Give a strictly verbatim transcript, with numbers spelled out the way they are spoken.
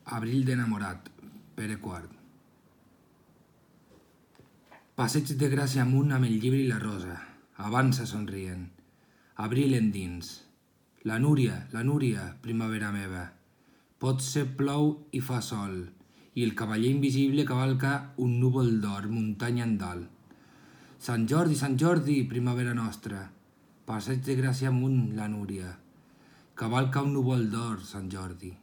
Abril d'enamorat, Pere quart. Passeig de Gràcia amunt amb el llibre i la rosa. Avança somrient. Abril endins. La Núria, la Núria, primavera meva. Potser plou i fa sol, i el cavaller invisible cavalca un núvol d'or, muntanya en dalt. Sant Jordi, Sant Jordi, primavera nostra. Passeig de Gràcia amunt, la Núria. Cavalca un núvol d'or, Sant Jordi.